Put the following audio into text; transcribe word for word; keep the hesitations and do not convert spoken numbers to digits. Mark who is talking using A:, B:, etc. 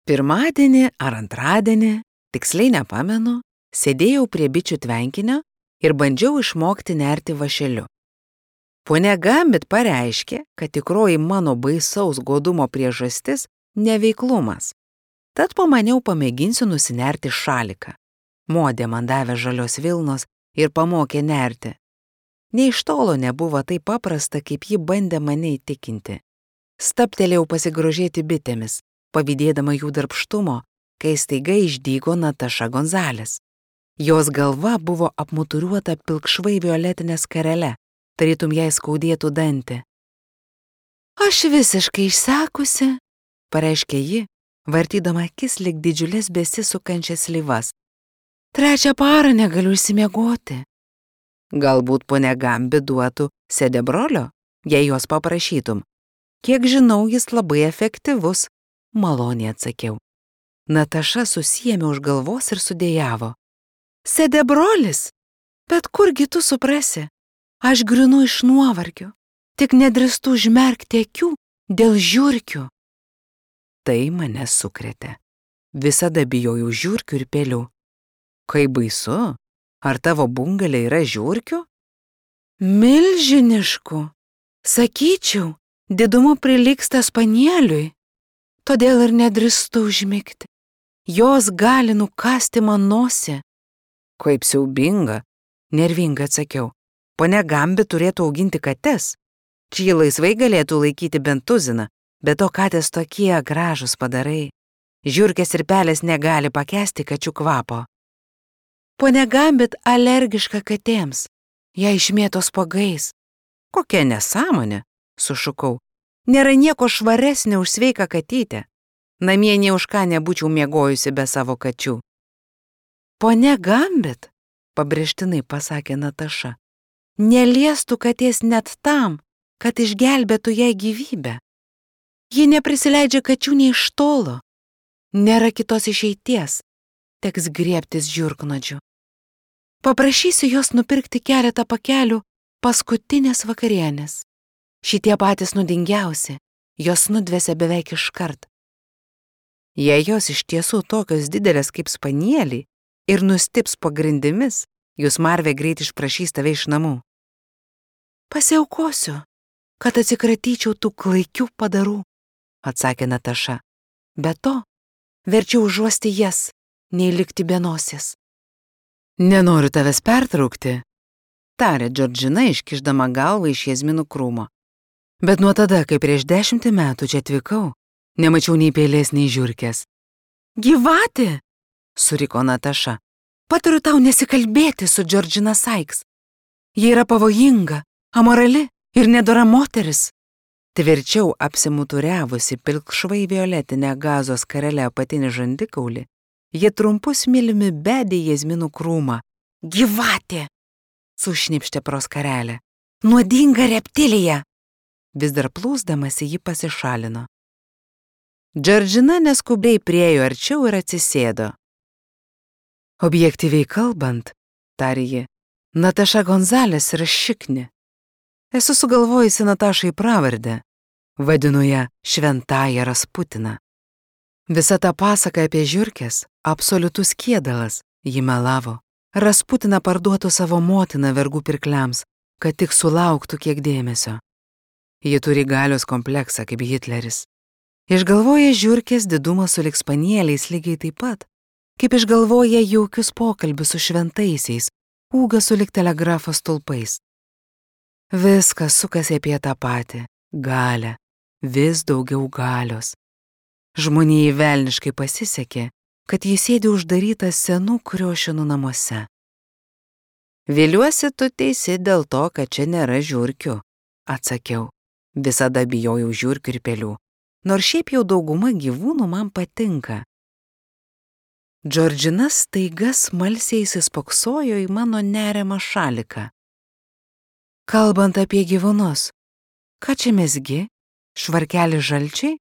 A: Pirmadienį ar antradienį, tiksliai nepamenu, sėdėjau prie bičių tvenkinio ir bandžiau išmokti nerti vąšeliu. Ponia Gambit pareiškė, kad tikroji mano baisaus godumo priežastis – neveiklumas. Tad pamaniau pamėginsiu nusinerti šaliką. Modė man davė žalios vilnos ir pamokė nerti. Nei iš tolo nebuvo taip paprasta, kaip ji bandė mane įtikinti. Stabtelėjau pasigrožėti bitėmis, pavydėdama jų darbštumo, kai staiga išdygo Nataša Gonzales. Jos galva buvo apmuturiuota pilkšvai violetinė skarele, tarytum jai skaudėtų dantį. Aš visiškai išsekusi, pareiškė ji, vartydama akis lyg didžiulės besisukančias slyvas. Trečią parą negaliu išsimiegoti. Galbūt ponia Gambit duotų sedebrolio, jei jos paprašytum. Kiek žinau, jis labai efektyvus, maloniai atsakiau. Nataša susiėmė už galvos ir sudėjavo. Sedebrolis? Bet kurgi tu suprasi? Aš grinu iš nuovargio, tik nedrįstu užmerkti akių dėl žiurkių. Tai mane sukrėtė. Visada bijojau žiurkių ir pelių. Kaip baisu, ar tavo bungalė yra žiurkių? Milžiniškų. Sakyčiau, didumu prilygsta spanieliui. Todėl ir nedrįstu užmigti. Jos gali nukasti man nosį. Kaip siaubinga, nervingai atsakiau. Ponia Gambit turėtų auginti kates. Čia laisvai galėtų laikyti bent tuziną, bet to katės tokie gražūs padarai. Žiurkės ir pelės negali pakęsti kačių kvapo. Ponia Gambit alergiška katėms. Ją išmėto spuogais. Kokia nesąmonė, sušukau. Nėra nieko švaresnio už sveiką katytę. Namie nė už ką nebūčiau miegojusi be savo kačių. Ponia Gambit, pabrėžtinai pasakė Nataša, neliestų katės net tam, kad išgelbėtų jai gyvybę. Ji neprisileidžia kačių nei iš tolo. Nėra kitos išeities, teks griebtis žiurknuodžių. Paprašysiu jos nupirkti keletą pakelių paskutinės vakarienės. Šitie patys nuodingiausi, jos nudvesia beveik iškart. Jei jos iš tiesų tokios didelės kaip spanieliai ir nustips po grindimis, jūs Marvė greit išprašys tave iš namų. Pasiaukosiu, kad atsikratyčiau tų klaikių padarų, atsakė Nataša. Be to, verčiau užuosti jas, nei likti be nosies. Nenoriu tavęs pertraukti, tarė Džordžina, iškišdama galvą iš jazminų krūmo. Bet nuo tada, kai prieš dešimtį metų čia atvykau, nemačiau nei pelės, nei žiurkės. Gyvatė, suriko Nataša. Patariu tau nesikalbėti su Džordžina Sykes. Ji yra pavojinga, amorali ir nedora moteris. Tvirčiau apsimuturiavusi pilkšvai violetinę gazos skarelę apatinį žandikaulį, ji trumpu smiliumi bedė jazminų krūmą. Gyvatė! Sušnipštė pro skarelę. Nuodinga reptilija! Vis dar plūsdamasi ji pasišalino. Džordžina neskubiai priejo arčiau ir atsisėdo. Objektyviai kalbant, tarė ji, Nataša Gonzales yra šikni. Esu sugalvojusi Natašai pravardę. Vadinu ją šventąją Rasputiną. Visa ta pasaka apie žiurkės – absoliutus kėdalas, ji melavo. Rasputina parduotų savo motiną vergų pirkliams, kad tik sulauktų kiek dėmesio. Ji turi galios kompleksą kaip Hitleris. Išgalvoja žiurkės didumą sulig spanieliais lygiai taip pat, kaip išgalvoja jaukius pokalbius su šventaisiais, ūgą sulig telegrafo stulpais. Viskas sukasi apie tą patį – galią, vis daugiau galios. Žmonijai velniškai pasisekė, kad jis sėdi uždarytas senų kriošinų namuose. Viliuosi, tu teisi dėl to, kad čia nėra žiurkių, atsakiau. Visada bijojau žiurkių ir pelių, nors šiaip jau dauguma gyvūnų man patinka. Džordžina staiga smalsiai įsispoksojo į mano neriamą šaliką. Kalbant apie gyvūnus, ką čia mezgi? Švarkelį žalčiai